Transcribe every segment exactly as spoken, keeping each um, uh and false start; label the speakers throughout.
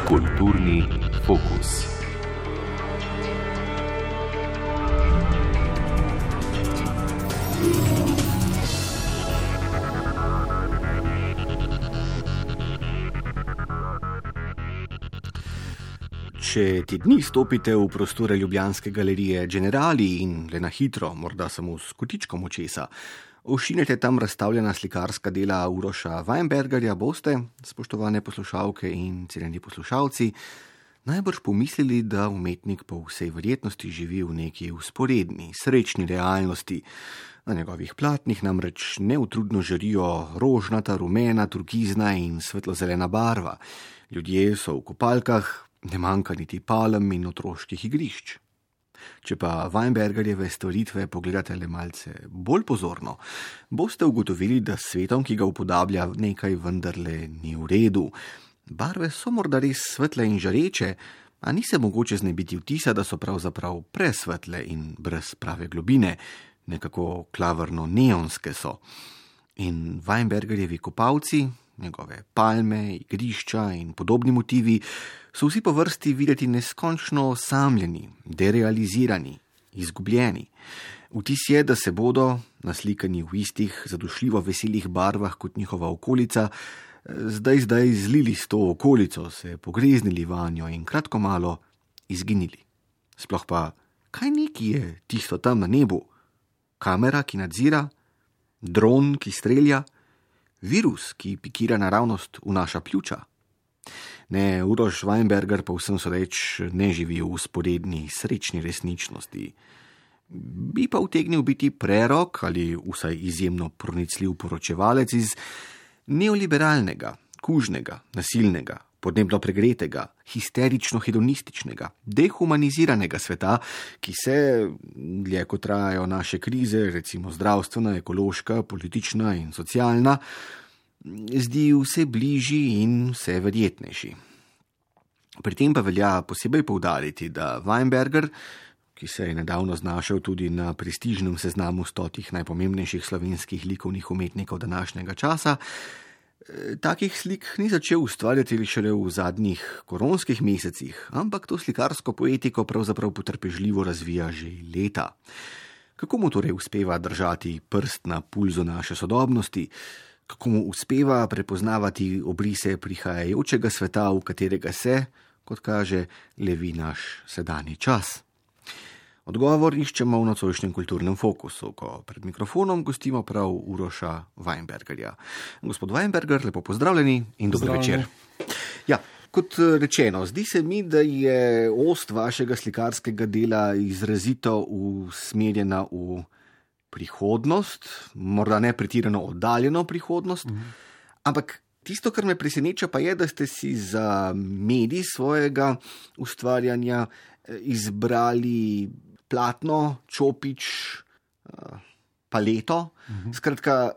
Speaker 1: Kulturni fokus.
Speaker 2: Če ti dni stopite v prostore ljubljanske galerije Generali in le na hitro, morda samo s kotičkom očesa, ošinete tam razstavljena slikarska dela Uroša Weinbergerja, boste, spoštovane poslušalke in cenjeni poslušalci, najbrž pomislili, da umetnik po vsej verjetnosti živi v neki vzporedni, srečni realnosti. Na njegovih platnih namreč neutrudno žarijo rožnata, rumena, turkizna in svetlozelena barva. Ljudje so v kopalkah, ne manjka niti palm in otroških igrišč. Če pa Weinbergerjeve stvaritve pogledate le malce bolj pozorno, boste ugotovili, da s svetom, ki ga upodablja, nekaj vendarle ni v redu. Barve so morda res svetle in žareče, a ni se mogoče znebiti vtisa, da so pravzaprav presvetle in brez prave globine, nekako klavrno neonske so. In Weinbergerjevi kopalci, njegove palme, igrišča in podobni motivi so vsi po vrsti videti neskončno osamljeni, derealizirani, izgubljeni. Vtis je, da se bodo, naslikani v istih zadušljivo veselih barvah kot njihova okolica, zdaj zdaj zlili s to okolico, se pogreznili vanjo in kratko malo izginili. Sploh pa, kaj neki je tisto tam na nebu? Kamera, ki nadzira? Dron, ki strelja? Virus, ki pikira naravnost v naša pljuča? Ne, Uroš Weinberger pa vsem sodeč ne živi v vzporedni srečni resničnosti. Bi pa utegnil biti prerok ali vsaj izjemno pronicljiv poročevalec iz neoliberalnega, kužnega, nasilnega, podnebno pregretega, histerično-hedonističnega, dehumaniziranega sveta, ki se, dlje kot trajajo naše krize, recimo zdravstvena, ekološka, politična in socialna, zdi vse bližji in vse verjetnejši. Pri tem pa velja posebej poudariti, da Weinberger, ki se je nedavno znašel tudi na prestižnem seznamu stotih najpomembnejših slovenskih likovnih umetnikov današnjega časa, takih slik ni začel ustvarjati šele v zadnjih koronskih mesecih, ampak to slikarsko poetiko pravzaprav potrpežljivo razvija že leta. Kako mu torej uspeva držati prst na pulzu naše sodobnosti? Kako mu uspeva prepoznavati obrise prihajajočega sveta, v katerega se, kot kaže, levi naš sedanji čas? Odgovor iščemo v nocojšnjem kulturnem fokusu, ko pred mikrofonom gostimo prav Uroša Weinbergerja. Gospod Weinberger, lepo pozdravljeni in dober večer. Ja, kot rečeno, zdi se mi, da je ost vašega slikarskega dela izrazito usmerjena v prihodnost, morda ne pretirano oddaljeno prihodnost, mm. ampak tisto, kar me preseneča, pa je, da ste si za medij svojega ustvarjanja izbrali platno, čopič, paleto, mm-hmm. skratka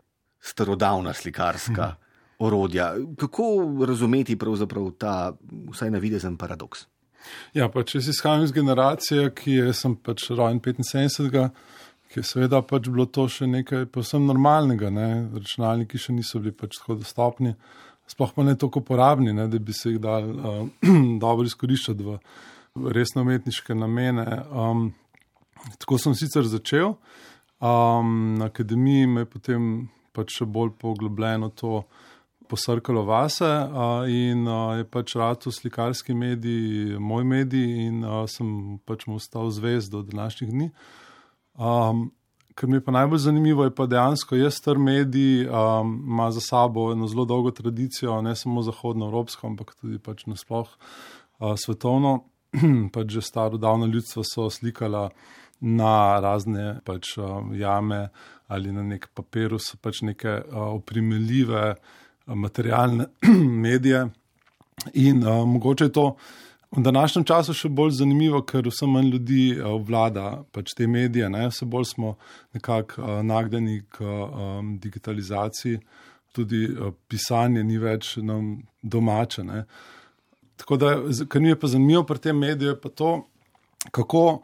Speaker 2: starodavna slikarska mm-hmm. orodja. Kako razumeti pravzaprav ta vsaj navidezen paradoks?
Speaker 3: Ja, pa če si izhajam iz generacije, ki je, sem pač rojen petinsedemdesetega, ki je seveda pač bilo to še nekaj povsem normalnega, ne? Računalniki še niso bili pač tako dostopni, sploh pa ne toliko uporabni, ne? Da bi se jih dal uh, dobro izkoriščati v resno umetniške namene. Um, tako sem sicer začel, um, na akademiji me je potem pač še bolj poglobljeno to posrkalo vase uh, in uh, je pač rato slikarski medij, moj medij in uh, sem pač mu ostal zvest do današnjih dni. Um, kar mi je pa najbolj zanimivo, je pa dejansko je star medij, um, ima za sabo eno zelo dolgo tradicijo, ne samo zahodnoevropsko, ampak tudi pač nasploh uh, svetovno. Pač že staro davno ljudstvo so slikala na razne pač uh, jame ali na nek papirus, pač neke uh, oprimeljive uh, materialne medije in uh, mogoče je to v današnjem času še bolj zanimivo, ker vse manj ljudi uh, vlada pač te medije, ne? Vse bolj smo nekako uh, nagnjeni k um, digitalizaciji, tudi uh, pisanje ni več nam domače, ne? Tako da, kar mi je pa zanimivo pri tem mediju, je pa to, kako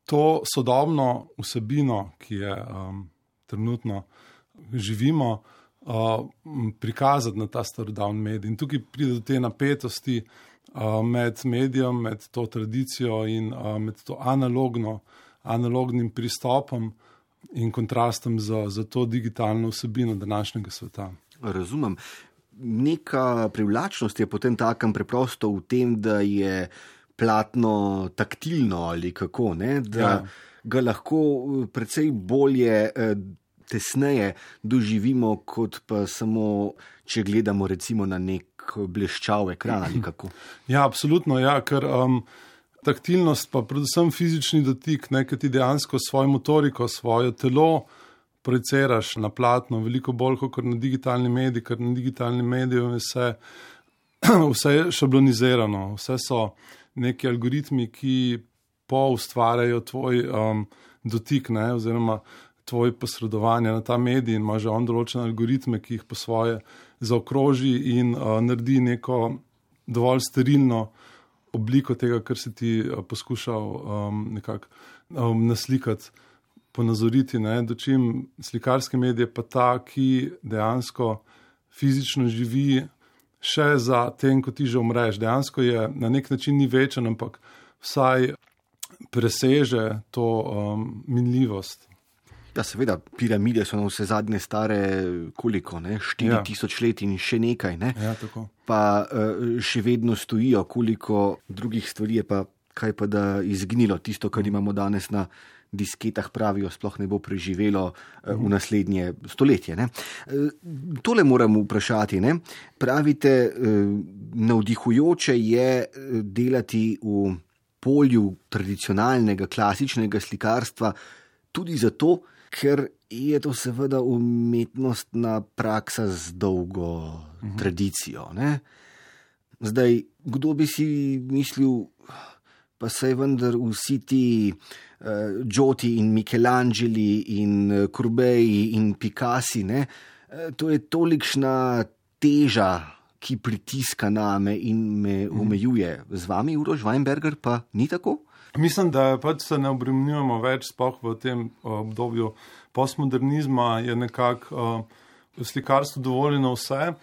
Speaker 3: to sodobno vsebino, ki je um, trenutno živimo, uh, prikazati na ta starodavni medij. In tukaj pride do te napetosti uh, med medijem, med to tradicijo in uh, med to analogno, analognim pristopom in kontrastom za, za to digitalno vsebino današnjega sveta.
Speaker 2: Razumem. Neka privlačnost je potem takem preprosto v tem, da je platno taktilno ali kako, ne? Da ja. ga lahko precej bolje, tesneje doživimo, kot pa samo, če gledamo recimo na nek bleščav ekran ali kako.
Speaker 3: Ja, absolutno, ja, ker um, taktilnost pa predvsem fizični dotik, ne, ker ti dejansko svojo motoriko, svoje telo projiciraš na platno, veliko bolj kot na digitalni medij, ker na digitalni mediju je vse, vse je šablonizirano, vse so neki algoritmi, ki poustvarjajo tvoj um, dotik, ne, oziroma tvoj posredovanje na ta medij in ima že on določene algoritme, ki jih po svoje zaokroži in uh, naredi neko dovolj sterilno obliko tega, kar si ti uh, poskušal um, nekako um, naslikati, ponazoriti, ne, dočim slikarski medij je pa ta, ki dejansko fizično živi še za tem, ko ti že umreš. Dejansko je na nek način ni večen, ampak vsaj preseže to um, minljivost.
Speaker 2: Ja, seveda, piramide so na vse zadnje stare koliko, ne? štiri tisoč ja. let in še nekaj, ne?
Speaker 3: Ja, tako.
Speaker 2: Pa uh, še vedno stojijo, koliko drugih stvari je pa, kaj pa da izgnilo, tisto, kar imamo danes na disketah, pravijo, sploh ne bo preživelo uh, v naslednje stoletje. Ne? Uh, tole moram vprašati, ne? Pravite, uh, navdihujoče je delati v polju tradicionalnega, klasičnega slikarstva, tudi zato, ker je to seveda umetnostna praksa z dolgo uh-huh. tradicijo. Ne? Zdaj, kdo bi si mislil, pa saj vendar vsi ti uh, Gioti in Michelangeli in uh, Courbet in Picassi, ne? Uh, to je tolikšna teža, ki pritiska name in me uh-huh. omejuje. Z vami, Uroš Weinberger, pa ni tako?
Speaker 3: Mislim, da pač se ne obremenjujemo več, sploh v tem obdobju postmodernizma je nekako uh, v slikarstvu dovoljeno vse,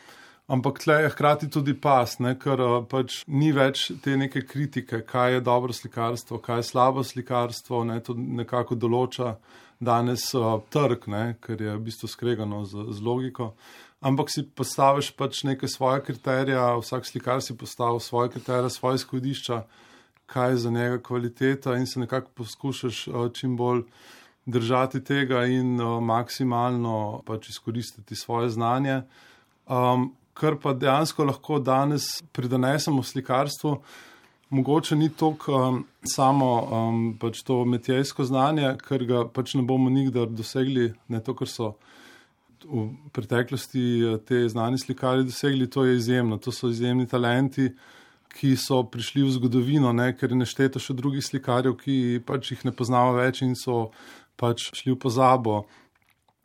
Speaker 3: ampak tle je hkrati tudi pas, ne, ker uh, pač ni več te neke kritike, kaj je dobro slikarstvo, kaj je slabo slikarstvo, ne, to nekako določa danes uh, trg, ne, ker je v bistvu skregano z, z logiko. Ampak si postaviš pač neke svoje kriterije, vsak slikar si postavi svoje kriterije, svoje izhodišča, kaj je za njega kvaliteta in se nekako poskušaš uh, čim bolj držati tega in uh, maksimalno pač izkoristiti svoje znanje. Um, kar pa dejansko lahko danes pridonesemo v slikarstvu, mogoče ni toliko um, samo um, pač to metjejsko znanje, ker ga pač ne bomo nikdar dosegli, ne to, kar so v preteklosti te znani slikari dosegli, to je izjemno, to so izjemni talenti, ki so prišli v zgodovino, ne, ker je nešteto še drugih slikarjev, ki pač jih ne poznamo več in so pač šli v pozabo.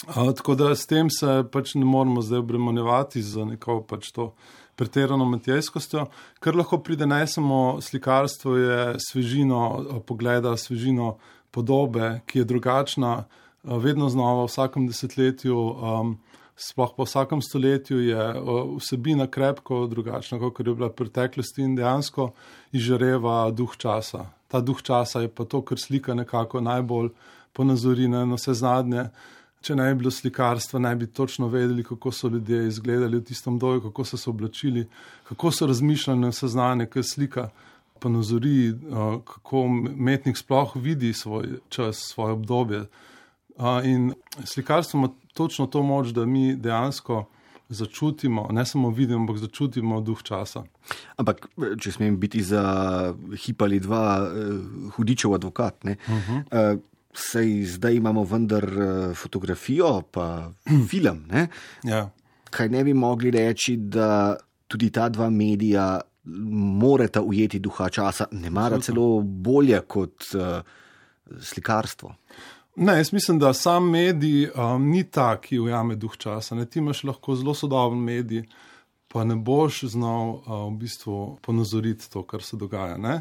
Speaker 3: Uh, tako da s tem se pač ne moramo zdaj obremenjevati za neko pač to pretirano metjejskostjo. Kar lahko pridonesemo slikarstvo je svežino pogleda, svežino podobe, ki je drugačna, uh, vedno znova v vsakem desetletju, um, sploh po vsakem stoletju je vsebina krepko drugačna, kot je bila v preteklosti in dejansko izžareva duh časa. Ta duh časa je pa to, kar slika nekako najbolj ponazori na vse zadnje. Če ne bi bilo slikarstva, ne bi točno vedeli, kako so ljudje izgledali v tistem doju, kako so se oblačili, kako so razmišljali na vse znanje, kaj slika ponazori, kako umetnik sploh vidi svoj čas, svoje obdobje. In slikarstvo ima točno to moč, da mi dejansko začutimo, ne samo vidimo, ampak začutimo duh časa.
Speaker 2: Ampak, če smem biti za hip ali dva hudičev advokat, ne? Uh-huh. Uh, sej zdaj imamo vendar fotografijo, pa film, ne?
Speaker 3: Ja.
Speaker 2: Kaj ne bi mogli reči, da tudi ta dva medija morata ujeti duha časa, ne mara celo bolje kot uh, slikarstvo?
Speaker 3: Ne, jaz mislim, da sam medij um, ni ta, ki ujame duh časa. Ne, ti imaš lahko zelo sodoben medij, pa ne boš znal uh, v bistvu ponazoriti to, kar se dogaja. Ne?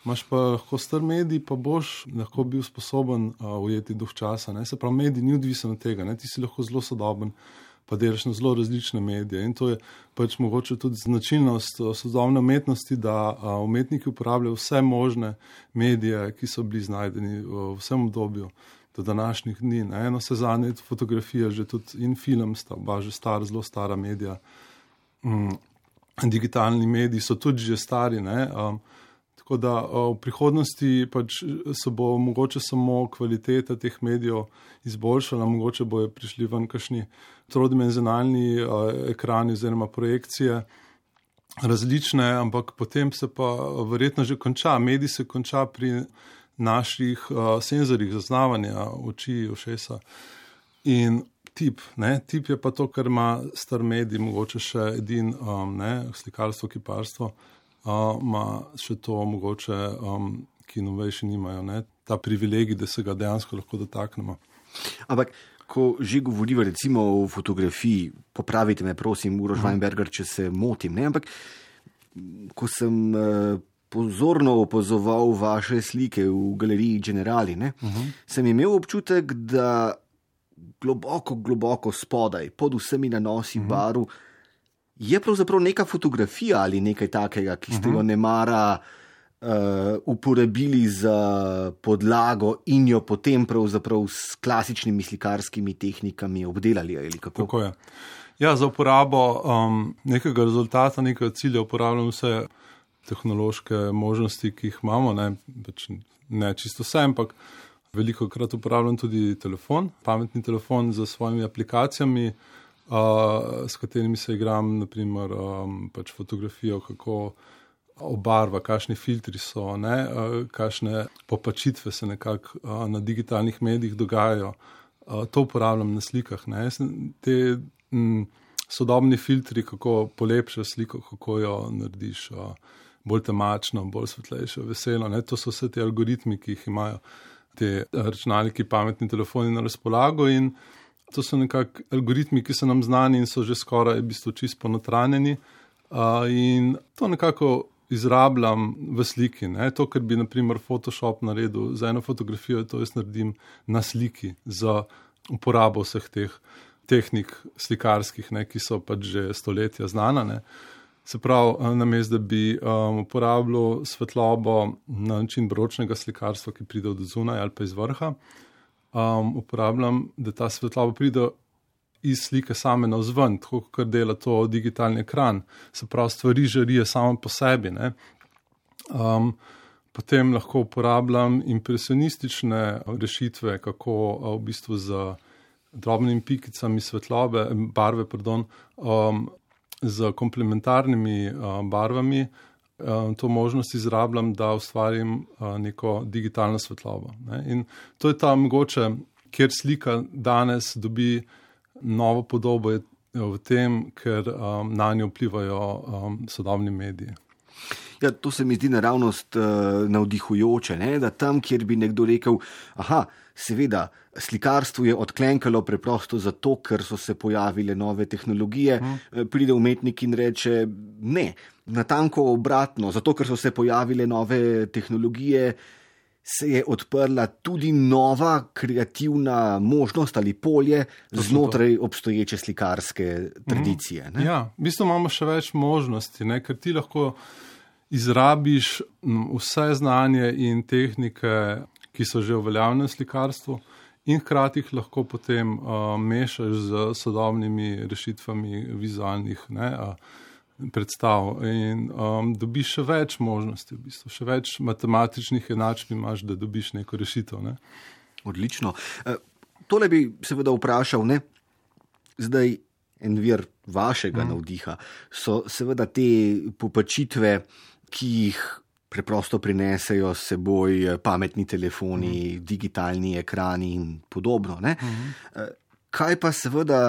Speaker 3: Imaš pa lahko star medij, pa boš lahko bil sposoben uh, ujeti duh časa. Ne? Se pravi, medij ni odvisen od tega. Ne? Ti si lahko zelo sodoben, pa delaš na zelo različne medije. In to je pač mogoče tudi značilnost sodobne umetnosti, da uh, umetniki uporabljajo vse možne medije, ki so bili znajdeni v vsem obdobju do današnjih dni. Ne? Eno se zanje fotografija, že tudi in film sta, oba že star, zelo stara medija. Mm. Digitalni mediji so tudi že stari, ne? Um, tako da uh, v prihodnosti pač se bo mogoče samo kvaliteta teh medijev izboljšala, mogoče bojo prišli ven kakšni trodimenzionalni uh, ekrani oziroma projekcije različne, ampak potem se pa verjetno že konča. Medij se konča pri naših uh, senzorjih zaznavanja oči, ušesa in tip, ne, tip je pa to, kar ima star medij, mogoče še edin, um, ne, slikarstvo, kiparstvo, uh, ima še to mogoče, um, ki novejši nimajo, ne, ta privilegij, da se ga dejansko lahko dotaknemo.
Speaker 2: Ampak, ko že govoriva recimo o fotografiji, popravite me prosim, Uroš uh-huh. Weinberger, če se motim, ne, ampak ko sem uh, pozorno opazoval vaše slike v galeriji Generali, ne, uh-huh. sem imel občutek, da globoko, globoko spodaj, pod vsemi nanosi v baru, je pravzaprav neka fotografija ali nekaj takega, ki ste jo nemara uh, uporabili za podlago in jo potem pravzaprav s klasičnimi slikarskimi tehnikami obdelali ali kako?
Speaker 3: Tako je. Ja, za uporabo um, nekega rezultata, nekega cilja uporabljam vse tehnološke možnosti, ki jih imamo, ne, pač ne čisto vse, ampak veliko krat uporabljam tudi telefon, pametni telefon z svojimi aplikacijami, uh, s katerimi se igram, naprimer, um, pač fotografijo, kako obarva, kakšni filtri so, ne, uh, kakšne popačitve se nekako uh, na digitalnih medijih dogajajo. Uh, to uporabljam na slikah. Ne. Te m, sodobni filtri, kako polepšaš sliko, kako jo narediš uh, bolj temačno, bolj svetlejšo, veselo. Ne. To so vse te algoritmi, ki jih imajo te računalniki, pametni telefoni na razpolago in to so nekako algoritmi, ki so nam znani in so že skoraj v bistvu čisto ponotranjeni uh, in to nekako izrabljam v sliki. Ne? To, kar bi naprimer Photoshop naredil za eno fotografijo, to jaz naredim na sliki za uporabo vseh teh tehnik slikarskih, ne? Ki so pač že stoletja znana. Ne? Se pravi, namesto da bi um, uporabljal svetlobo na način baročnega slikarstva, ki pride od zunaj ali pa iz vrha, um, uporabljam, da ta svetloba pride iz slike same navzven, tako kot dela to digitalni ekran. Se pravi, stvari žarijo samo po sebi. Ne? Um, potem lahko uporabljam impresionistične rešitve, kako v bistvu z drobnimi pikicami svetlobe, barve, pardon, um, z komplementarnimi uh, barvami uh, to možnost izrabljam, da ustvarim uh, neko digitalno svetlobo. Ne? In to je ta mogoče, kjer slika danes dobi novo podobo, je v tem, ker um, na njo vplivajo um, sodobni mediji.
Speaker 2: Ja, to se mi zdi naravnost uh, navdihujoče, ne? Da tam, kjer bi nekdo rekel, aha, seveda, slikarstvo je odklenkalo preprosto zato, ker so se pojavile nove tehnologije, hmm. pride umetnik in reče, ne, natanko obratno, zato, ker so se pojavile nove tehnologije, se je odprla tudi nova kreativna možnost ali polje znotraj obstoječe slikarske tradicije. Ne?
Speaker 3: Ja, v bistvu imamo še več možnosti, ne? Ker ti lahko izrabiš vse znanje in tehnike, ki so že uveljavljene v slikarstvu in hkrati jih lahko potem uh, mešaš z sodobnimi rešitvami vizualnih ne, uh, predstav in um, dobiš še več možnosti, v bistvu, še več matematičnih enačb imaš, da dobiš neko rešitev. Ne.
Speaker 2: Odlično. Uh, tole bi seveda vprašal, ne, zdaj en vir vašega mm. navdiha so seveda te popačitve, ki jih preprosto prinesejo s seboj pametni telefoni, mm. digitalni ekrani in podobno. Ne? Mm. Kaj pa seveda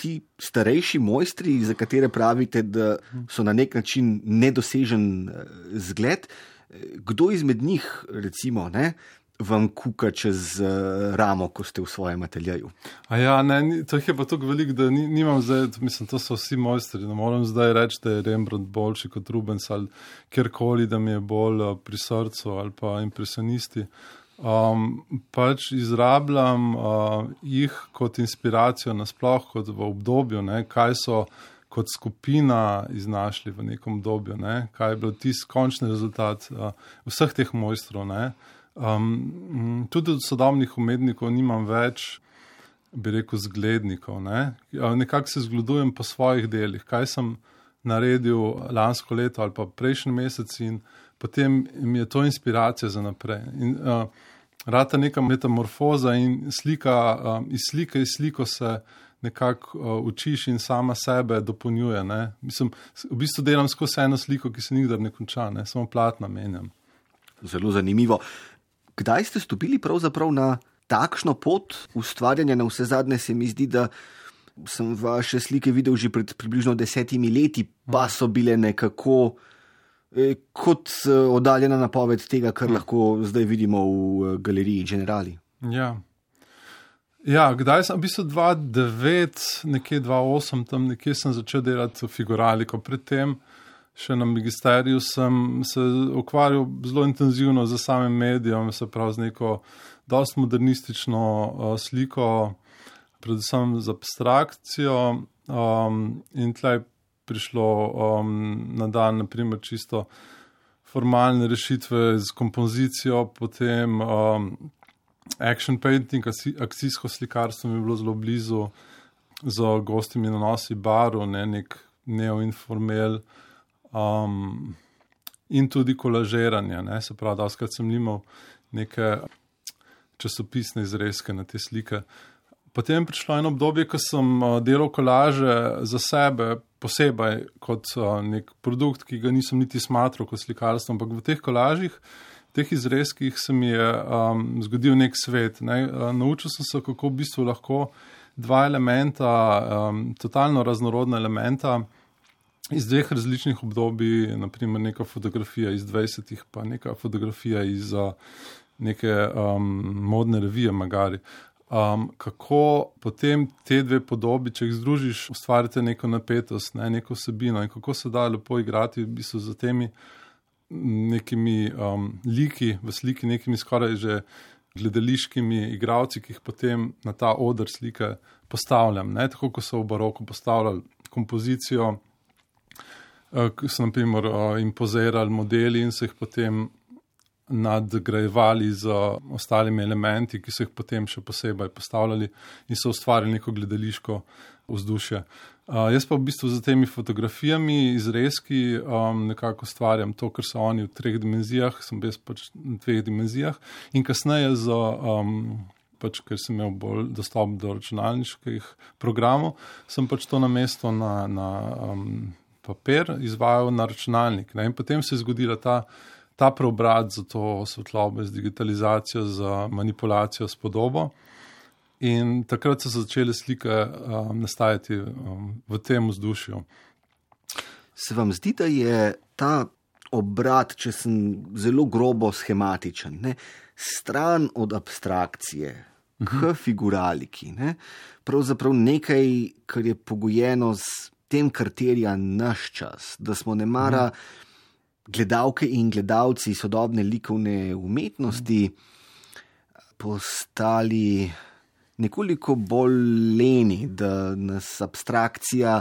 Speaker 2: ti starejši mojstri, za katere pravite, da so na nek način nedosežen zgled, kdo izmed njih, recimo, ne, vam kuka čez uh, ramo, ko ste v svojem ateljeju?
Speaker 3: A ja, ne, ni, to je pa tako veliko, da ni, nimam zdaj, mislim, to so vsi mojstri, ne moram zdaj reči, da je Rembrandt boljši kot Rubens ali kjerkoli, da mi je bolj uh, pri srcu ali pa impresionisti. Um, pač izrabljam uh, jih kot inspiracijo nasploh, kot v obdobju, ne, kaj so kot skupina iznašli v nekom obdobju, ne, kaj je bil tisti končni rezultat uh, vseh teh mojstrov, ne. Um, tudi od sodobnih umetnikov nimam več, bi rekel, zglednikov. Ne? Nekako se zgledujem po svojih delih, kaj sem naredil lansko leto ali pa prejšnji mesec in potem mi je to inspiracija za naprej. In, uh, rata neka metamorfoza in slika, uh, iz slike iz sliko se nekako uh, učiš in sama sebe dopolnjuje. Ne? Mislim, v bistvu delam skozi eno sliko, ki se nikdar ne konča, ne? Samo platna menjam.
Speaker 2: Zelo zanimivo. Kdaj ste stopili pravzaprav na takšno pot ustvarjanja? Na vse zadnje se mi zdi, da sem vaše slike videl že pred približno desetimi leti, pa so bile nekako eh, kot oddaljena napoved tega, kar lahko zdaj vidimo v galeriji Generali.
Speaker 3: Ja. Ja, kdaj sem, v bistvu dva tisoč devet, nekje dva tisoč osem, tam nekje sem začel delati figuraliko. Predtem še na magisteriju sem se ukvarjal zelo intenzivno z samim medijem, se pravi z neko dosti modernistično uh, sliko, predvsem z abstrakcijo, um, in tlej prišlo um, na dan, naprimer, čisto formalne rešitve z kompozicijo, potem um, action painting, akcijsko slikarstvo mi je bilo zelo blizu, z gostimi nanosi barv, ne, nek neoinformel, Um, in tudi kolažiranje, ne, se pravi, da vskrat sem imel neke časopisne izrezke na te slike. Potem je prišlo eno obdobje, ko sem uh, delal kolaže za sebe posebej kot uh, nek produkt, ki ga nisem niti smatral kot slikarstvo, ampak v teh kolažih, teh izrezkih se mi je um, zgodil nek svet. Ne. Uh, naučil sem se, kako v bistvu lahko dva elementa, um, totalno raznorodna elementa, iz dveh različnih obdobij, naprimer neka fotografija iz dvajsetih, pa neka fotografija iz uh, neke um, modne revije magari. Um, kako potem te dve podobi, če jih združiš, ustvarite neko napetost, ne, neko vsebino in kako se da lepo igrati v bistvu za temi nekimi um, liki, v sliki nekimi skoraj že gledališkimi igravci, ki jih potem na ta oder slike postavljam. Ne, tako, ko so v baroku postavljali kompozicijo, ki so naprimer impozirali modeli in so jih potem nadgrajevali z ostalimi elementi, ki so jih potem še posebej postavljali in so ustvarili neko gledališko vzdušje. Uh, jaz pa v bistvu za temi fotografijami, izrezki um, nekako ustvarjam to, kar so oni v treh dimenzijah, sem jaz pač v dveh dimenzijah in kasneje z, um, pač, ker sem imel bolj dostop do računalniških programov, sem pač to namesto na, na um, papir izvajal na računalnik. Ne? In potem se je zgodila ta, ta preobrat za to svetlobo, z digitalizacijo, za manipulacijo s podobo. In takrat so začele slike um, nastajati um, v tem vzdušju.
Speaker 2: Se vam zdi, da je ta obrat, če sem zelo grobo schematičen, ne? Stran od abstrakcije uh-huh. k figuraliki, ne? Pravzaprav nekaj, kar je pogojeno z tem, kar terja naš čas, da smo nemara gledalke in gledalci sodobne likovne umetnosti postali nekoliko bolj leni, da nas abstrakcija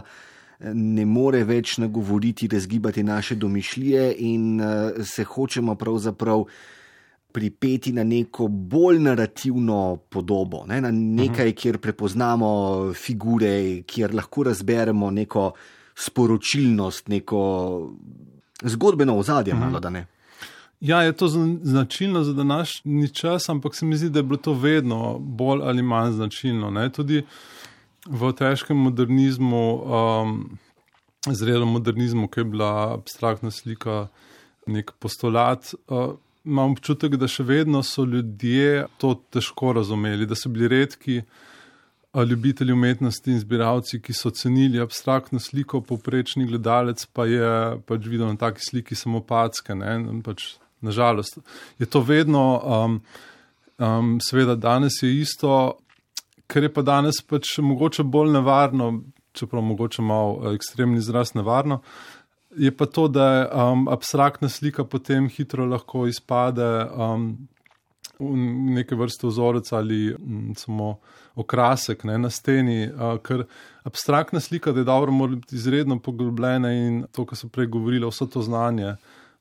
Speaker 2: ne more več nagovoriti, razgibati naše domišljije in se hočemo pravzaprav pripeti na neko bolj narativno podobo, ne? Na nekaj, kjer prepoznamo figure, kjer lahko razberemo neko sporočilnost, neko zgodbeno ozadje, malo da ne.
Speaker 3: Ja, je to značilno za današnji čas, ampak se mi zdi, da je bilo to vedno bolj ali manj značilno. Ne? Tudi v težkem modernizmu, um, zrelem modernizmu, ki je bila abstraktna slika, nek postulat, uh, imam občutek, da še vedno so ljudje to težko razumeli, da so bili redki ljubitelji umetnosti in zbiralci, ki so cenili abstraktno sliko, povprečni gledalec pa je pač videl na taki sliki samo packe. Ne? Pač, nažalost, je to vedno um, Um, seveda danes je isto, ker je pa danes pač mogoče bolj nevarno, čeprav mogoče malo ekstremni izraz nevarno, je pa to, da je um, abstraktna slika potem hitro lahko izpade um, v neke vrste vzorec ali um, samo okrasek, ne, na steni, uh, ker abstraktna slika, da je dobro, mora biti izredno poglobljena in to, kar so prej govorili, vso to znanje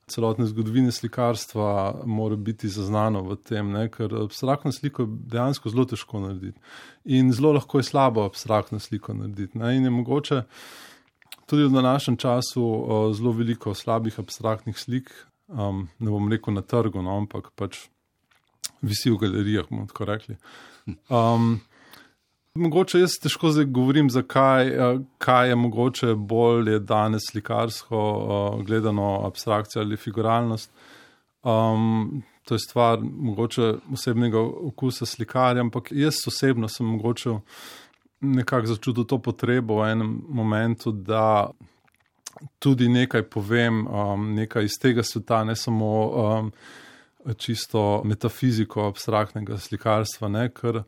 Speaker 3: celotne zgodovine slikarstva mora biti zaznano v tem, ne, ker abstraktno sliko je dejansko zelo težko narediti. In zelo lahko je slabo abstraktno sliko narediti. Ne, in je mogoče tudi v današnjem času uh, zelo veliko slabih abstraktnih slik, um, ne bom rekel na trgu, no, ampak pač visi v galerijah, bomo tako rekli. Um, Mogoče jaz težko zdaj govorim, zakaj, kaj je mogoče bolje danes slikarsko gledano abstrakcija ali figuralnost. Um, to je stvar mogoče osebnega okusa slikarja, ampak jaz osebno sem mogoče nekako začutil to potrebo v enem momentu, da tudi nekaj povem, um, nekaj iz tega sveta, ne samo um, čisto metafiziko abstraktnega slikarstva, ne, ker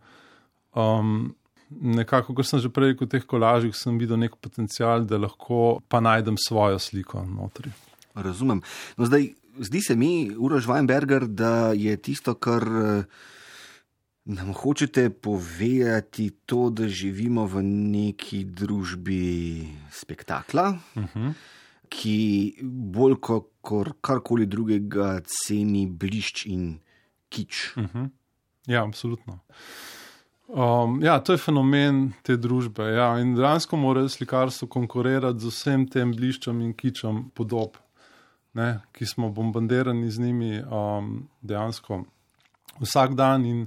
Speaker 3: um, nekako, kot sem že prej rekel, v teh kolažih sem videl nek potencial, da lahko pa najdem svojo sliko notri.
Speaker 2: Razumem. No zdaj, zdi se mi, Uroš Weinberger, da je tisto, kar nam hočete povedati, to, da živimo v neki družbi spektakla, uh-huh. ki bolj kot karkoli drugega ceni blišč in kič.
Speaker 3: Uh-huh. Ja, absolutno. Um, ja, to je fenomen te družbe. Ja, in dejansko mora slikarstvo konkurirati z vsem tem bliščem in kičem podob, ne, ki smo bombardirani z njimi um, dejansko vsak dan. In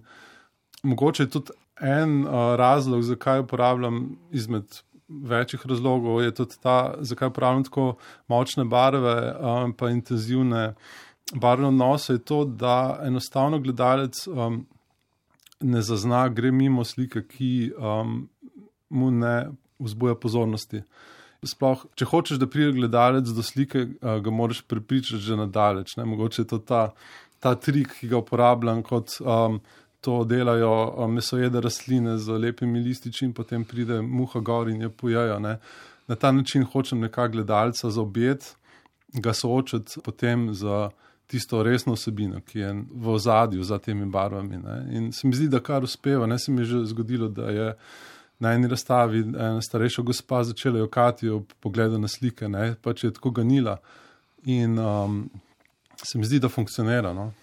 Speaker 3: mogoče je tudi en uh, razlog, zakaj uporabljam izmed večjih razlogov, je tudi ta, zakaj uporabljam tako močne barve um, pa intenzivne barvne odnose, je to, da enostavno gledalec um, ne zazna, gre mimo slike, ki um, mu ne vzbuja pozornosti. Sploh, če hočeš, da pride gledalec do slike, uh, ga moraš prepričati že nadaleč. Ne? Mogoče je to ta, ta trik, ki ga uporabljam, kot um, to delajo um, mesojede rastline z lepimi lističi in potem pride muha gor in je pojejo. Ne? Na ta način hočem nekako gledalca zaobjeti, ga soočiti potem z tisto resno vsebino, ki je v ozadju za temi barvami. Ne. In se mi zdi, da kar uspeva. Ne, se mi je že zgodilo, da je na eni razstavi ena starejša gospa začela jokati ob pogledu na slike, ne, pač je tako ganila. In um, se mi zdi, da funkcionira. No.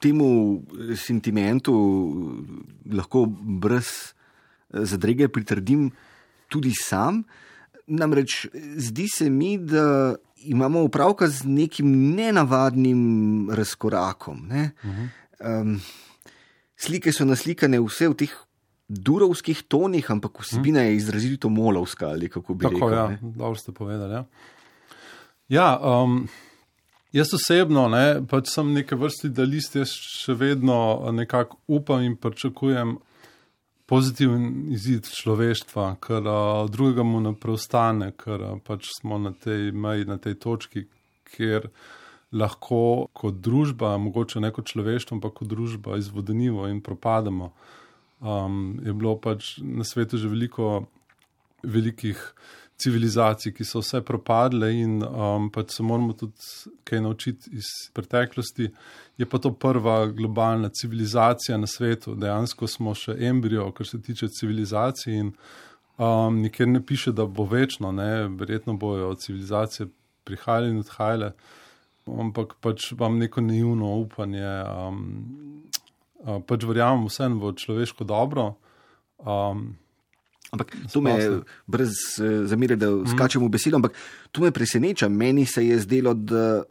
Speaker 2: Temu sentimentu lahko brez zadrege pritrdim tudi sam. Namreč zdi se mi, da imamo opravka z nekim nenavadnim razkorakom. Ne? Uh-huh. Um, slike so naslikane vse v teh durovskih tonih, ampak vsebina uh-huh. je izrazito molovska, ali kako bi
Speaker 3: Tako,
Speaker 2: rekel.
Speaker 3: Ja, dobro ste povedali. Ja, ja um, jaz osebno, ne, pač sem neke vrsti idealist, jaz še vedno nekako upam in pričakujem pozitiven izid človeštva, ker uh, drugega mu ne preostane, ker uh, pač smo na tej meji, na tej točki, kjer lahko kot družba, mogoče ne kot človeštvo, ampak kot družba izvodenivo in propademo. Um, je bilo pač na svetu že veliko velikih civilizacij, ki so vse propadle in um, pač se moramo tudi kaj naučiti iz preteklosti. Je pa to prva globalna civilizacija na svetu. Dejansko smo še embrio, kar se tiče civilizacij in um, nikjer ne piše, da bo večno, ne, verjetno bojo civilizacije prihajale in odhajale, ampak pač vam neko naivno upanje, um, uh, pač verjamem vsem v človeško dobro. Um,
Speaker 2: Ampak to me, brez zamere, da skačem v besedo, ampak to me preseneča. Meni se je zdelo, da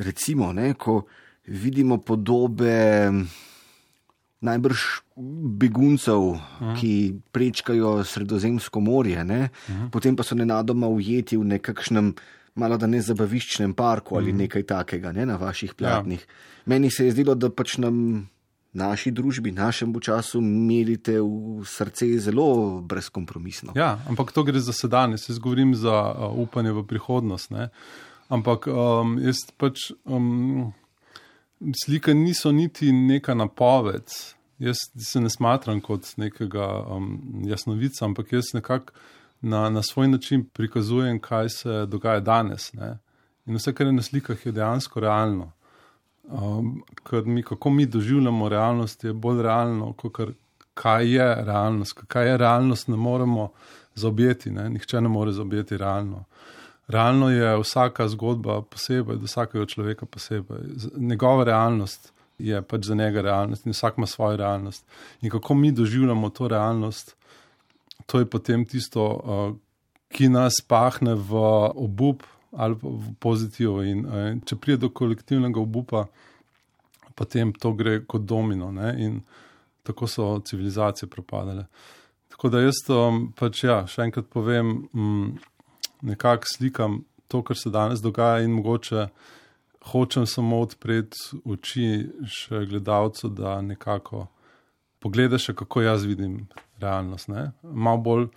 Speaker 2: recimo, ne, ko vidimo podobe najbrž beguncev, uh-huh. ki prečkajo Sredozemsko morje, ne, uh-huh. potem pa so nenadoma ujeti v nekakšnem malo da ne zabaviščnem parku ali uh-huh. nekaj takega, ne, na vaših platnih. Ja. Meni se je zdelo, da pač nam naši družbi, našemu času merite v srce zelo brezkompromisno.
Speaker 3: Ja, ampak to gre za sedanje, se govorim za uh, upanje v prihodnost. Ne? Ampak um, jaz pač um, slike niso niti neka napoved. Jaz se ne smatram kot nekega um, jasnovica, ampak jaz nekako na, na svoj način prikazujem, kaj se dogaja danes. Ne? In vse, kar je na slikah, je dejansko realno. Um, ker mi, kako mi doživljamo realnost, je bolj realno, kot kaj je realnost. Kaj je realnost, ne moremo zaobjeti. Ne? Nihče ne more zaobjeti realno. Realno je vsaka zgodba posebej, do vsakega človeka posebej. Njegova realnost je pač za njega realnost in vsak ima svojo realnost. In kako mi doživljamo to realnost, to je potem tisto, uh, ki nas pahne v obup ali v pozitivo. In uh, če pride do kolektivnega obupa, potem to gre kot domino. Ne? In tako so civilizacije propadale. Tako da jaz um, pač ja, še enkrat povem, um, nekako slikam to, kar se danes dogaja in mogoče hočem samo odpreti oči še gledalcu, da nekako pogleda še, kako jaz vidim realnost. Ne? Malo bolj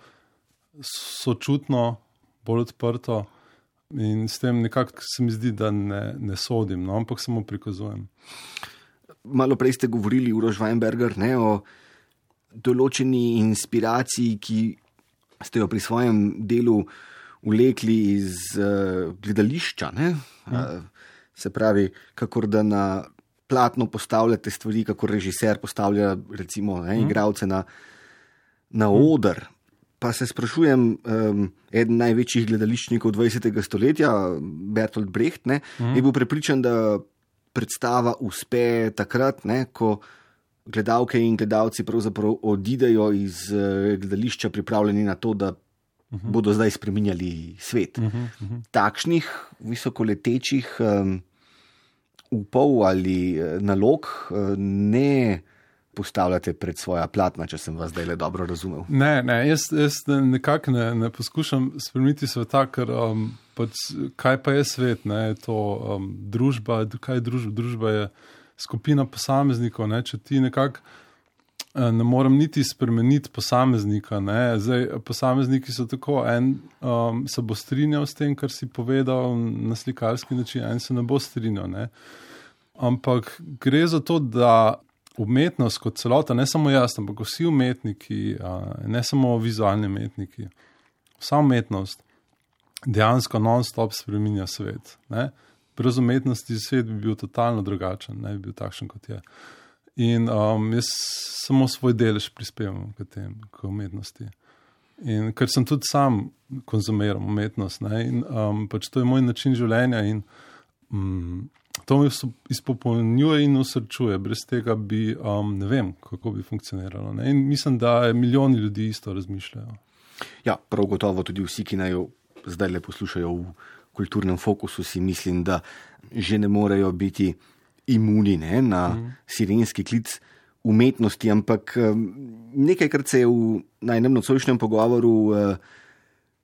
Speaker 3: sočutno, bolj odprto in s tem nekako se mi zdi, da ne, ne sodim, no? Ampak samo prikazujem.
Speaker 2: Malo prej ste govorili, Uroš Weinberger, ne, o določeni inspiraciji, ki ste jo pri svojem delu vlekli iz uh, gledališča. Ne? Ja. Uh, se pravi, kakor da na platno postavljate stvari, kakor režiser postavlja recimo ne, mm. igralce na, na mm. oder. Pa se sprašujem, um, eden največjih gledališčnikov dvajsetega stoletja, Bertolt Brecht, ne, mm. je bil prepričan, da predstava uspe takrat, ne, ko gledalke in gledalci pravzaprav odidejo iz uh, gledališča pripravljeni na to, da uh-huh. bodo zdaj spreminjali svet. Uh-huh, uh-huh. Takšnih visokoletečih um, upov ali uh, nalog uh, ne postavljate pred svoja platna, če sem vas zdaj le dobro razumel.
Speaker 3: Ne, ne, jaz, jaz nekako ne, ne poskušam spremeniti sveta, ker um, pač, kaj pa je svet, ne, je to um, družba, kaj je družba, družba je skupina posameznikov, ne, če ti nekako ne morem niti spremeniti posameznika, ne, zdaj posamezniki so tako, en um, se bo strinjal s tem, kar si povedal na slikarski način, en se ne bo strinjal, ne, ampak gre za to, da umetnost kot celota, ne samo jaz, ampak vsi umetniki, ne samo vizualni umetniki, vsa umetnost dejansko non-stop spreminja svet. Ne? Brez umetnosti svet bi bil totalno drugačen, ne bi bil takšen, kot je. In um, jaz samo svoj delež prispevam k tem, k umetnosti. In ker sem tudi sam konzumiram umetnost, ne? In um, pač to je moj način življenja in um, to me izpopolnjuje in usrčuje. Brez tega bi, um, ne vem, kako bi funkcioniralo. Ne? In mislim, da milijoni ljudi isto razmišljajo.
Speaker 2: Ja, prav gotovo tudi vsi, ki naj zdaj le poslušajo v kulturnem fokusu, si mislim, da že ne morejo biti imuni ne, na mm. sirenski klic umetnosti, ampak um, nekajkrat se je v najnem nocojšnjem pogovoru uh,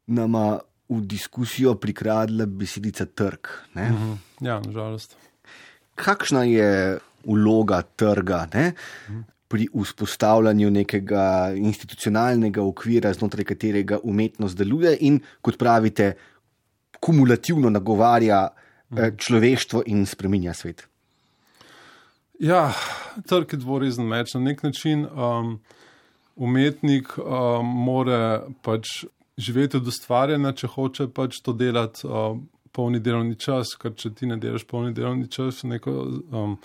Speaker 2: nama v diskusijo prikradla besedica trg. Ne?
Speaker 3: Mm-hmm. Ja, nažalost.
Speaker 2: Kakšna je vloga trga ne? Mm. pri vzpostavljanju nekega institucionalnega okvira, znotraj katerega umetnost deluje in, kot pravite, kumulativno nagovarja mm. človeštvo in spreminja svet?
Speaker 3: Ja, trg je dvorezen meč. Na nek način um, umetnik um, mora pač živeti od ustvarjanja, če hoče pač to delati uh, polni delovni čas, ker če ti ne delaš polni delovni čas neko um,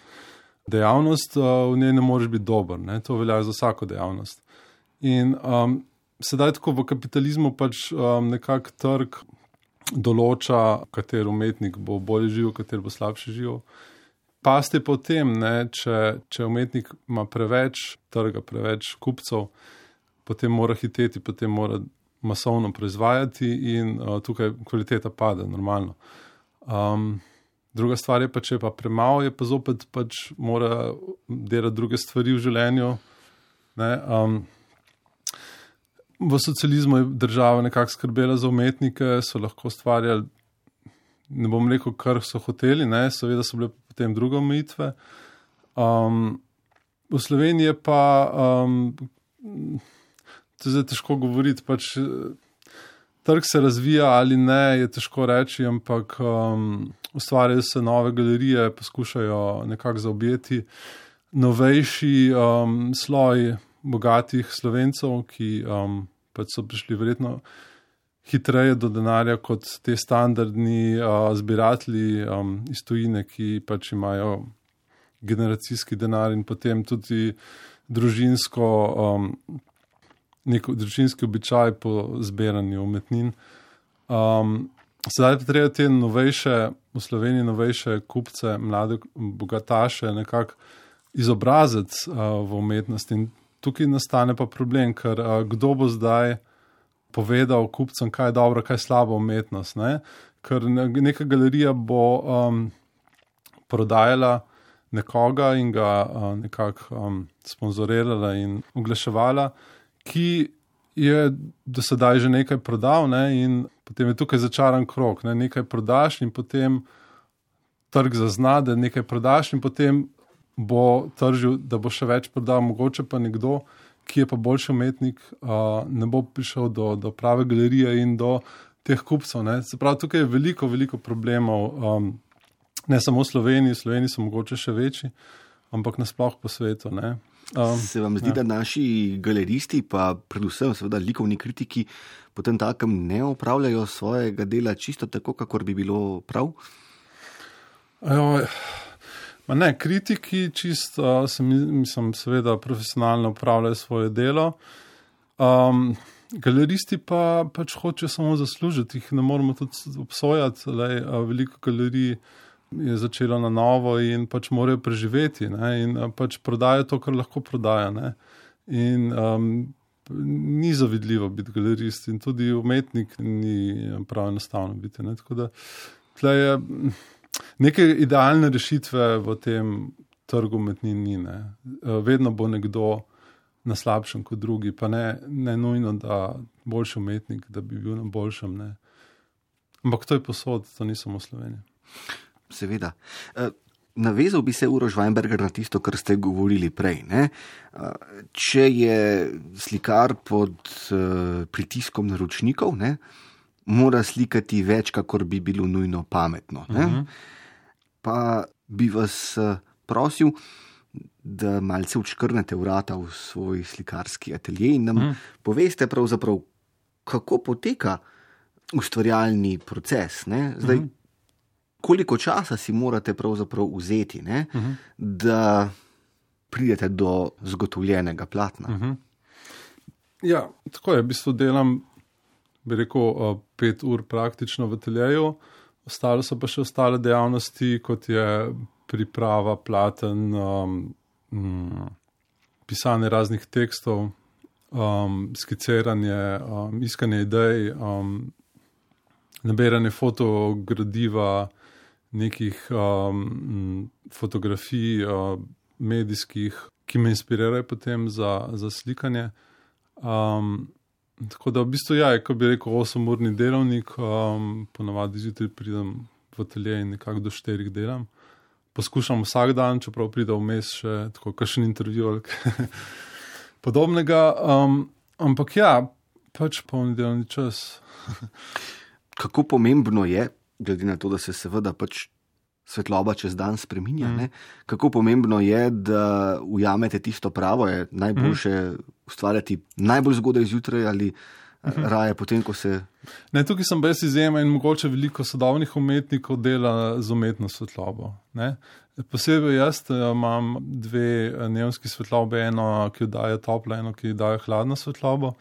Speaker 3: dejavnost, uh, v njej ne moreš biti dober. Ne? To velja za vsako dejavnost. In um, sedaj tako v kapitalizmu pač um, nekak trg določa, kater umetnik bo bolje živel, kater bo slabše živel. Pasti potem, ne, če, če umetnik ima preveč trga, preveč kupcev, potem mora hiteti, potem mora masovno proizvajati in uh, tukaj kvaliteta pade, normalno. Um, druga stvar je pa, če je pa premalo, je pa zopet pač mora delati druge stvari v življenju. Ne? Um, v socializmu je država nekako skrbela za umetnike, so lahko ustvarjali, ne bom rekel, kar so hoteli, ne? Seveda so bile potem druge omejitve. Um, v Sloveniji je pa um, to je zdaj težko govoriti, pač trg se razvija ali ne, je težko reči, ampak um, ustvarjajo se nove galerije, poskušajo nekako zaobjeti novejši um, sloj bogatih Slovencev, ki um, pač so prišli verjetno hitreje do denarja kot te standardni uh, zbiratelji um, iz tujine, ki pač imajo generacijski denar in potem tudi družinsko, um, neko družinski običaj po zbiranju umetnin. Um, sedaj pa treba te novejše, v Sloveniji novejše kupce, mlade bogataše nekako izobraziti uh, v umetnosti. In tukaj nastane pa problem, ker uh, kdo bo zdaj povedal kupcem, kaj je dobro, kaj je slaba umetnost. Ne? Ker neka galerija bo um, prodajala nekoga in ga uh, nekako um, sponzorirala in oglaševala, ki je do sedaj že nekaj prodal, ne? In potem je tukaj začaran krog. Ne? Nekaj prodaš in potem trg zazna, da nekaj prodaš in potem bo tržil, da bo še več prodal, mogoče pa nekdo, ki je pa boljši umetnik, uh, ne bo prišel do, do prave galerije in do teh kupcev. Ne? Se pravi, tukaj je veliko, veliko problemov, um, ne samo v Sloveniji, v Sloveniji so mogoče še večji, ampak nasploh po svetu. Ne? Um,
Speaker 2: Se vam zdi, ja. da naši galeristi, pa predvsem seveda likovni kritiki, potem takem ne opravljajo svojega dela čisto tako, kakor bi bilo prav?
Speaker 3: Ajoj. Ma ne, kritiki čisto, sem, mislim, seveda profesionalno upravljajo svoje delo. Um, galeristi pa pač hočejo samo zaslužiti, jih ne moramo tudi obsojati. Lej, veliko galerij je začelo na novo in pač morajo preživeti, ne, in pač prodajo to, kar lahko prodajo. Ne. In um, ni zavidljivo biti galerist in tudi umetnik ni prav enostavno biti. Ne. Tako da tle je neke idealne rešitve v tem trgu umetnin ni. Ne. Vedno bo nekdo na slabšem kot drugi, pa ne, ne nujno, da boljši umetnik, da bi bil na boljšem. Ne. Ampak to je posod, to ni samo Slovenija.
Speaker 2: Seveda. Navezal bi se, Uroš Weinberger, na tisto, kar ste govorili prej. Ne? Če je slikar pod pritiskom naročnikov, ne, mora slikati več, kakor bi bilo nujno pametno. Ne? Uh-huh. Pa bi vas prosil, da malce odškrnete vrata v svoj slikarski atelje in nam uh-huh. poveste pravzaprav, kako poteka ustvarjalni proces. Ne? Zdaj, uh-huh. koliko časa si morate pravzaprav vzeti, ne, uh-huh. da pridete do zgotovljenega platna?
Speaker 3: Uh-huh. Ja, tako je. V bistvu delam, bi rekel, pet ur praktično v ateljeju. Ostalo so pa še ostale dejavnosti, kot je priprava platen, um, um, pisanje raznih tekstov, um, skiciranje, um, iskanje idej, um, nabiranje fotogradiva, nekih um, fotografij uh, medijskih, ki me inspirirajo potem za, za slikanje. Um, tako da v bistvu ja, ko bi rekel osemurni delovnik, um, ponavadi zjutraj pridem v atelje in nekako do štirih delam. Poskušam vsak dan, čeprav pride vmes še tako kakšen intervju ali podobnega. Um, ampak ja, pač polni delovni čas.
Speaker 2: Kako pomembno je, glede na to, da se seveda pač svetloba čez dan spreminja, mm. ne? Kako pomembno je, da ujamete tisto pravo, je najboljše mm. ustvarjati najbolj zgodaj zjutraj ali mm. raje potem, ko se...
Speaker 3: Ne, tukaj sem brez izjema in mogoče veliko sodobnih umetnikov dela z umetno svetlobo. Ne? Posebej jaz imam dve neonski svetlobe, eno, ki jo daje toplo, eno, ki jo daje hladno svetlobo.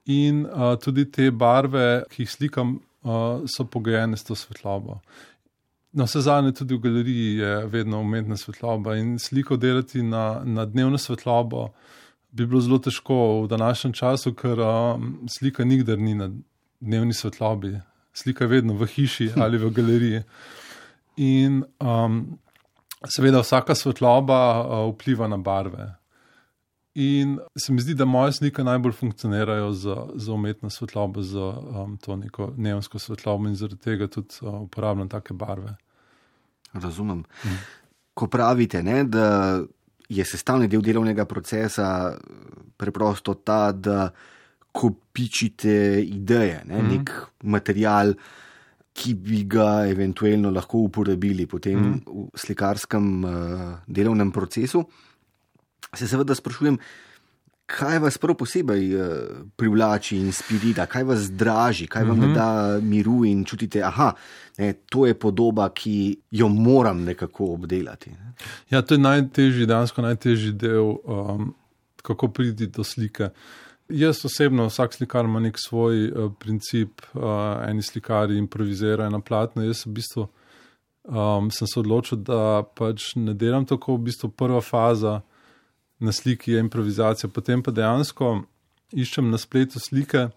Speaker 3: In uh, tudi te barve, ki jih slikam, Uh, so pogojene s to svetlobo. No, vse zadnje tudi v galeriji je vedno umetna svetloba in sliko delati na, na dnevno svetlobo bi bilo zelo težko v današnjem času, ker um, slika nikdar ni na dnevni svetlobi. Slika je vedno v hiši ali v galeriji. In um, seveda vsaka svetloba uh, vpliva na barve. In se mi zdi, da moje slike najbolj funkcionirajo za, za umetno svetlobo, za um, to neko neonsko svetlobo in zaradi tega tudi uh, uporabljam take barve.
Speaker 2: Razumem. Hmm. Ko pravite, ne, da je sestavni del delovnega procesa preprosto ta, da kopičite ideje, ne? Mm. Nek material, ki bi ga eventualno lahko uporabili potem mm. v slikarskem uh, delovnem procesu. Se seveda sprašujem, kaj vas prav posebej uh, privlači, inspirira, kaj vas draži, kaj vam mm-hmm. ne da miru in čutite, aha, ne, to je podoba, ki jo moram nekako obdelati. Ne?
Speaker 3: Ja, to je najtežji, dejansko najtežji del, um, kako priti do slike. Jaz osebno, vsak slikar ima nek svoj uh, princip, uh, eni slikari improvizirajo na platno. Jaz v bistvu um, sem se odločil, da pač ne delam tako, v bistvu prva faza na sliki je improvizacija, potem pa dejansko iščem na spletu slike,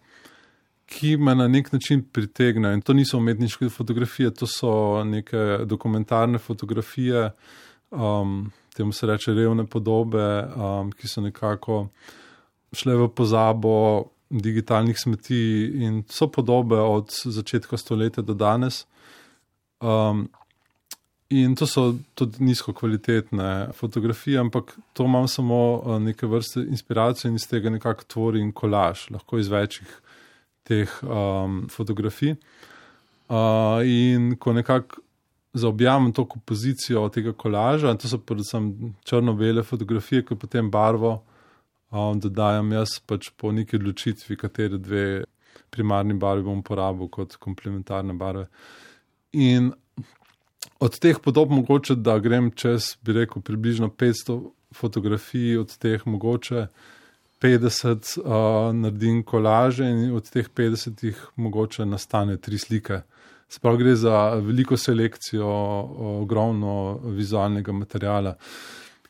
Speaker 3: ki me na nek način pritegnejo. In to niso umetniške fotografije, to so neke dokumentarne fotografije, um, temu se reče revne podobe, um, ki so nekako šle v pozabo digitalnih smeti in so podobe od začetka stoletja do danes. Um, in to so tudi nizko kvalitetne fotografije, ampak to imam samo neke vrste inspiracije in iz tega nekako tvorim kolaž, lahko iz večjih teh um, fotografij. Uh, in ko nekako zaobjamem to kompozicijo tega kolaža, to so predvsem črno-bele fotografije, ki potem barvo Um, dodajam jaz pač po neki odločitvi, katere dve primarni barvi bom uporabil kot komplementarne barve. In od teh podob mogoče, da grem čez, bi rekel, približno petsto fotografij, od teh mogoče petdeset uh, naredim kolaže in od teh petdesetih mogoče nastane tri slike. Sprav gre za veliko selekcijo, ogromno vizualnega materiala.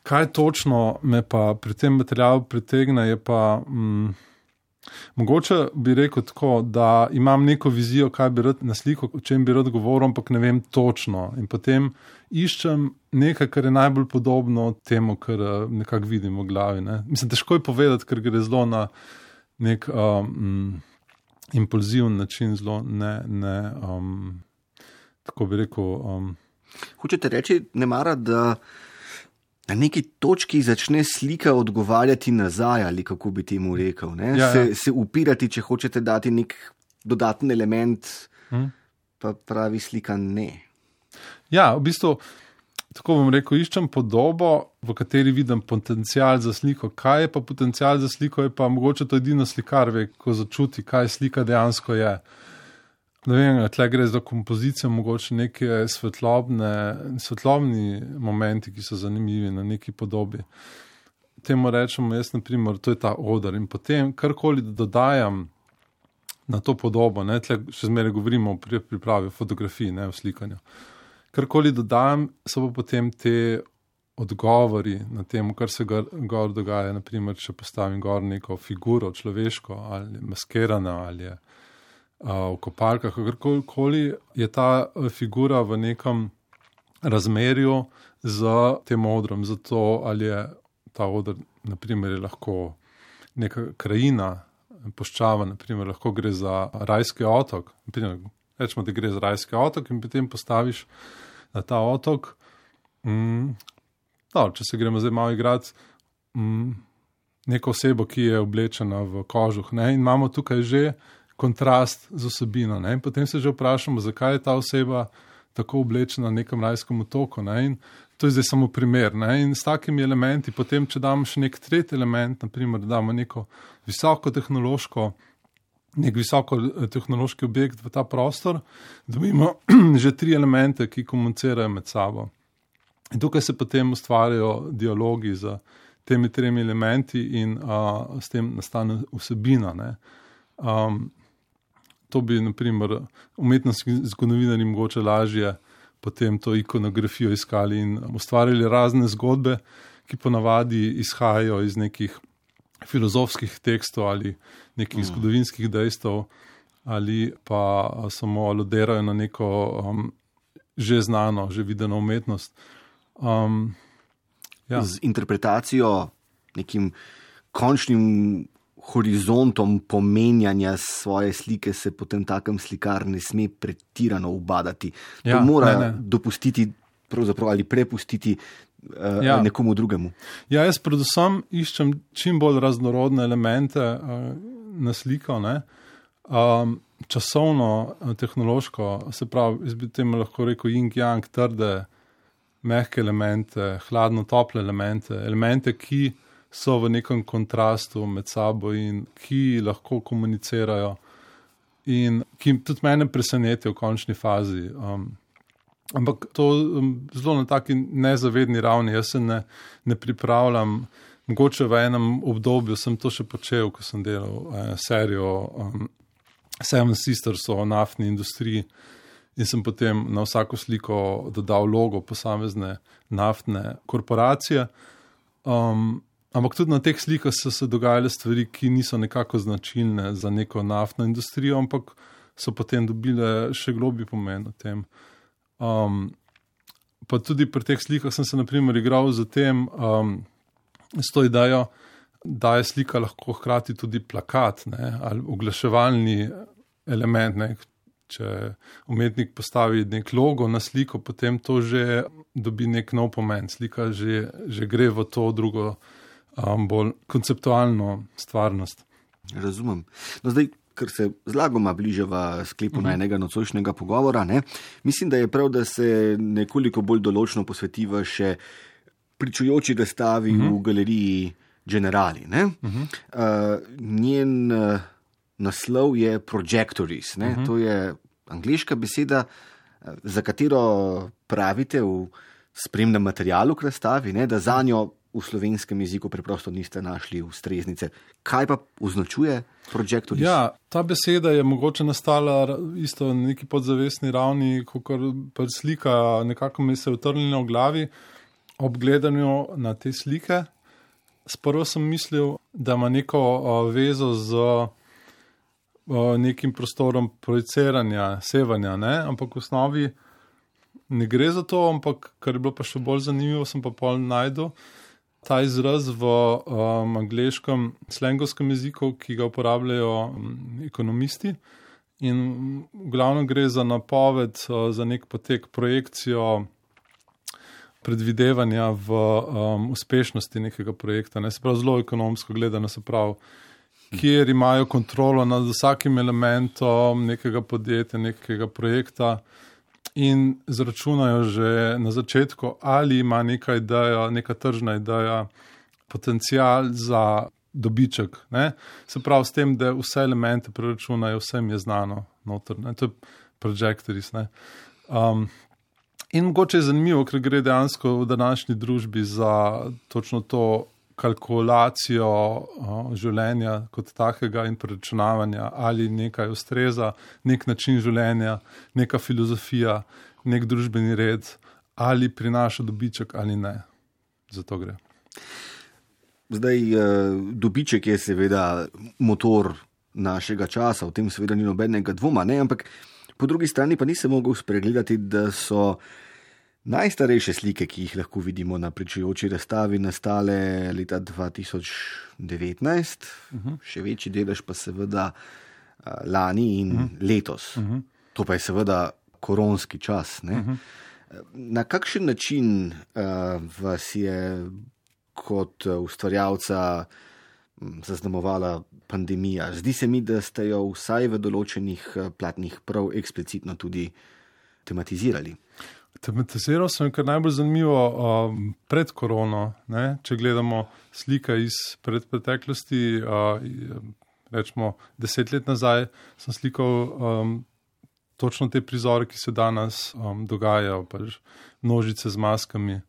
Speaker 3: Kaj točno me pa pri tem materialu pritegne, je pa mm, mogoče bi rekel tako, da imam neko vizijo, kaj bi rad na sliko, o čem bi rad govoril, ampak ne vem točno. In potem iščem nekaj, kar je najbolj podobno temu, kar nekako vidim v glavi. Ne? Mislim, težko je povedati, ker gre zelo na nek um, impulziven način, zelo ne, ne um, tako bi rekel. Um,
Speaker 2: Hočete reči, ne mara, da na neki točki začne slika odgovarjati nazaj, ali kako bi temu rekel, ne?
Speaker 3: Ja,
Speaker 2: se,
Speaker 3: ja.
Speaker 2: se upirati, če hočete dati nek dodaten element, hmm. pa pravi slika ne.
Speaker 3: Ja, v bistvu, tako bom rekel, iščem podobo, v kateri vidim potencial za sliko. Kaj je pa potencial za sliko, je pa mogoče to edino slikar ve, ko začuti, kaj slika dejansko je. Ne vem, tle gre za kompozicijo, mogoče neke svetlobne, svetlobni momenti, ki so zanimivi na neki podobi. Temu rečemo, jaz na primer, to je ta oder in potem karkoli dodajam na to podobo, ne, tle še zmeraj govorimo o pripravi fotografiji, ne, o slikanju. Karkoli dodajam, so pa potem te odgovori na tem, kar se gor, gor dogaja, na primer, če postavim gor neko figuro, človeško ali maskirano ali je v kopalkah, kakorkoli je ta figura v nekem razmerju z tem odrom, zato ali je ta odr, naprimer, je lahko neka krajina, puščava, naprimer, lahko gre za rajski otok, naprimer, rečemo, da gre za rajski otok in potem postaviš na ta otok, mm, no, če se gremo zdaj malo igrati, mm, neko osebo, ki je oblečena v kožuh, ne, in imamo tukaj že kontrast z osebino. Ne? In potem se že vprašamo, zakaj je ta oseba tako oblečena na nekem rajskem otoku. Ne? In to je zdaj samo primer. Ne? In s takimi elementi, potem, če damo še nek tretji element, naprimer, da damo neko visoko tehnološko, nek visoko tehnološki objekt v ta prostor, dobimo že tri elemente, ki komunicirajo med sabo. In tukaj se potem ustvarjajo dialogi z temi tremi elementi in a, s tem nastane vsebina. Ne? Um, To bi, naprimer, umetnostni zgodovinarji mogoče lažje potem to ikonografijo iskali in ustvarjali razne zgodbe, ki ponavadi izhajajo iz nekih filozofskih tekstov ali nekih mm. zgodovinskih dejstev ali pa samo aludirajo na neko um, že znano, že videno umetnost. Um, ja.
Speaker 2: Z interpretacijo, nekim končnim horizontom pomenjanja svoje slike se potem takem slikar ne sme pretirano ubadati. To
Speaker 3: ja,
Speaker 2: mora
Speaker 3: ne, ne.
Speaker 2: dopustiti pravzaprav ali prepustiti uh,
Speaker 3: ja.
Speaker 2: nekomu drugemu.
Speaker 3: Ja, jaz predvsem iščem čim bolj raznorodne elemente. Uh, na sliko, ne, um, časovno, tehnološko, se pravi, jaz bi temu lahko rekel yin-yang, trde, mehke elemente, hladno-tople elemente, elemente, ki so v nekem kontrastu med sabo in ki lahko komunicirajo in ki tudi mene presenetijo v končni fazi. Um, ampak to um, zelo na taki nezavedni ravni, jaz se ne, ne pripravljam. Mogoče v enem obdobju sem to še počel, ko sem delal eh, serijo um, Seven Sisters o naftni industriji in sem potem na vsako sliko dodal logo posamezne naftne korporacije. Um, ampak tudi na teh slikah so se dogajale stvari, ki niso nekako značilne za neko naftno industrijo, ampak so potem dobile še globji pomen o tem. Um, pa tudi pri teh slikah sem se naprimer igral z tem, um, s to idejo, da je slika lahko hkrati tudi plakat, ne, ali oglaševalni element. Ne. Če umetnik postavi nek logo na sliko, potem to že dobi nek nov pomen. Slika že, že gre v to drugo, um, bolj konceptualno stvarnost.
Speaker 2: Razumem. No zdaj, ker se zlagoma bližava sklepu uh-huh. najnega nocojšnjega pogovora, ne, mislim, da je prav, da se nekoliko bolj določno posvetiva še pričujoči razstavi uh-huh. v galeriji Generali. Ne? Uh-huh. Uh, njen uh, naslov je Projectories. Ne? Uh-huh. To je angleška beseda, uh, za katero pravite v spremnem materialu k razstavi, ne? Da za njo v slovenskem jeziku preprosto niste našli ustreznice. Kaj pa označuje Projectories?
Speaker 3: Ja, ta beseda je mogoče nastala isto na neki podzavestni ravni, kakor pa slika nekako mi se utrnila v glavi. Ob gledanju na te slike, sprva sem mislil, da ima neko o, vezo z o, nekim prostorom projiciranja, sevanja, ne? Ampak v osnovi ne gre za to, ampak kar je bilo pa še bolj zanimivo, sem pa pol najdel ta izraz v um, angleškem slengovskem jeziku, ki ga uporabljajo um, ekonomisti in v glavnem gre za napoved, uh, za nek potek, projekcijo predvidevanja v um, uspešnosti nekega projekta. Ne? Se pravi, zelo ekonomsko gledano, se pravi, kjer imajo kontrolo nad vsakim elementom nekega podjetja, nekega projekta in zračunajo že na začetku, ali ima neka ideja, neka tržna ideja, potencial za dobiček. Ne? Se pravi, s tem, da vse elemente preračunajo, vsem je znano noter. Ne? To je Projectories. Ne? Um, In mogoče je zanimivo, ker gre dejansko v današnji družbi za točno to kalkulacijo uh, življenja kot takega in preračunavanja, ali nekaj ustreza, nek način življenja, neka filozofija, nek družbeni red, ali prinaša dobiček ali ne. Zato gre.
Speaker 2: Zdaj, dobiček je seveda motor našega časa, v tem seveda ni nobenega dvoma, ne, ampak po drugi strani pa nisem mogel spregledati, da so najstarejše slike, ki jih lahko vidimo na pričujoči razstavi, nastale leta dva tisoč devetnajst, uh-huh. še večji delež pa seveda lani in uh-huh. letos. Uh-huh. To pa je seveda koronski čas. Ne? Uh-huh. Na kakšen način uh, vas je kot ustvarjalca zaznamovala pandemija? Zdi se mi, da ste jo vsaj v določenih platnih prav eksplicitno tudi tematizirali.
Speaker 3: Tematiziral sem, kar najbolj zanimivo um, pred korono. Ne? Če gledamo slike iz pred preteklosti, uh, rečemo deset let nazaj, sem slikal um, točno te prizore, ki se danes um, dogajajo, pač množice z maskami.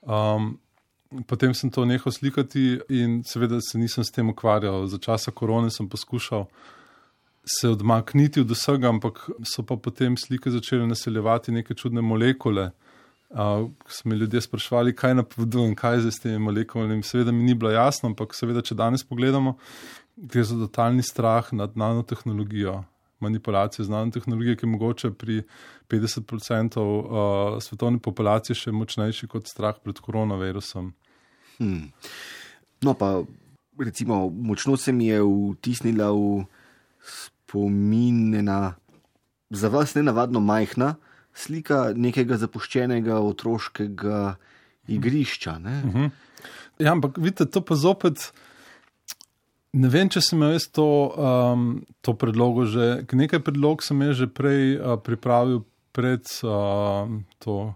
Speaker 3: Um, Potem sem to nehal slikati in seveda se nisem s tem ukvarjal. Za časa korone sem poskušal se odmakniti od vsega, ampak so pa potem slike začele naseljevati neke čudne molekule. Uh, so me ljudje spraševali, kaj napovedujem, kaj je s temi molekulami. Seveda mi ni bilo jasno, ampak seveda, če danes pogledamo, gre za totalni strah nad nanotehnologijo, manipulacijo z nanotehnologijo, ki je mogoče pri petdeset procentov uh, svetovne populacije še močnejši kot strah pred koronavirusom.
Speaker 2: Hmm. No pa, recimo, močno se mi je vtisnila v spomine na za vas nenavadno majhna slika nekega zapuščenega otroškega igrišča. Ne?
Speaker 3: Uh-huh. Ja, ampak vidite, to pa zopet Ne vem, če sem imel jaz to, um, to predlogo že, nekaj predlog sem jaz že prej uh, pripravil pred uh, to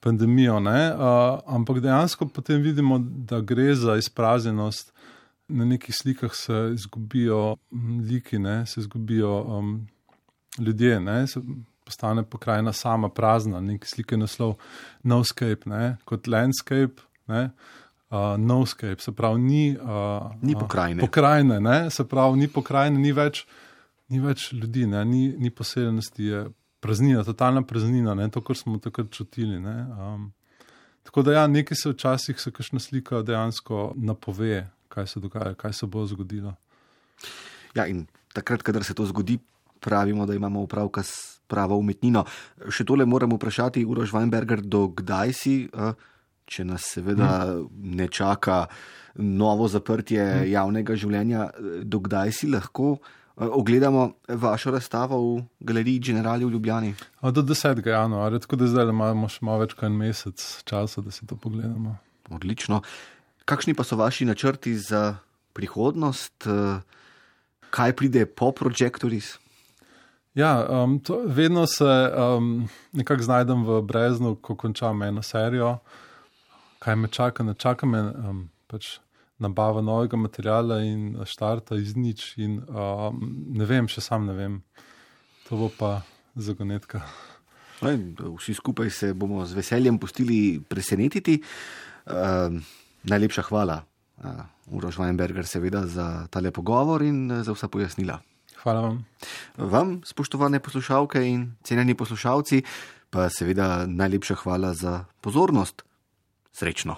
Speaker 3: pandemijo, ne? Uh, ampak dejansko potem vidimo, da gre za izpraznjenost. Na nekih slikah se izgubijo liki, ne? Se izgubijo um, ljudje, ne? Se postane pokrajina sama prazna, neki slike naslov Noscape, ne? Kot landscape, ne? Uh, Noscape, se pravi, ni, uh,
Speaker 2: ni pokrajine.
Speaker 3: Uh, pokrajine, ne? Se pravi, ni pokrajine, ni več, ni več ljudi, ne? Ni, ni poseljenosti, je praznina, totalna praznina, ne? To, kar smo takrat čutili. Ne? Um, tako da ja, nekaj se včasih se kakšna slika dejansko napove, kaj se dogaja, kaj se bo zgodilo.
Speaker 2: Ja, in takrat, kadar se to zgodi, pravimo, da imamo opravka s pravo umetnino. Še tole moram vprašati, Uroš Weinberger, do kdaj si, če nas seveda ne čaka novo zaprtje javnega življenja, do kdaj si lahko ogledamo vašo razstavo v galeriji Generali v Ljubljani?
Speaker 3: Do desetega januarja, tako da zdaj imamo še malo več kot en mesec časa, da si to pogledamo.
Speaker 2: Odlično. Kakšni pa so vaši načrti za prihodnost? Kaj pride po Projectoris?
Speaker 3: Ja, um, to, vedno se um, nekako znajdem v breznu, ko končam eno serijo. Kaj me čaka? Ne čaka me um, pač nabava novega materiala in štarta iz nič in um, ne vem, še sam ne vem. To bo pa zagonetka.
Speaker 2: Vsi skupaj se bomo z veseljem pustili presenetiti. Uh, najlepša hvala, uh, Uroš Weinberger, seveda za tale pogovor in za vsa pojasnila.
Speaker 3: Hvala vam.
Speaker 2: Vam, spoštovane poslušalke in cenjeni poslušalci, pa seveda najlepša hvala za pozornost. Srečno.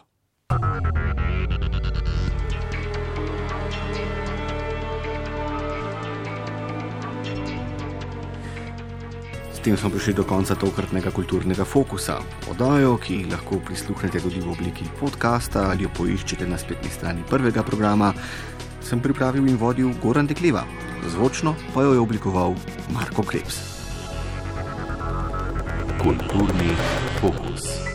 Speaker 2: S tem smo prišli do konca tokratnega kulturnega fokusa. Oddajo, ki lahko prisluhnete tudi v obliki podcasta ali jo poiščete na spletni strani prvega programa, sem pripravil in vodil Goran Dekliva. Zvočno pa jo je oblikoval Marko Krebs.
Speaker 1: Kulturni fokus.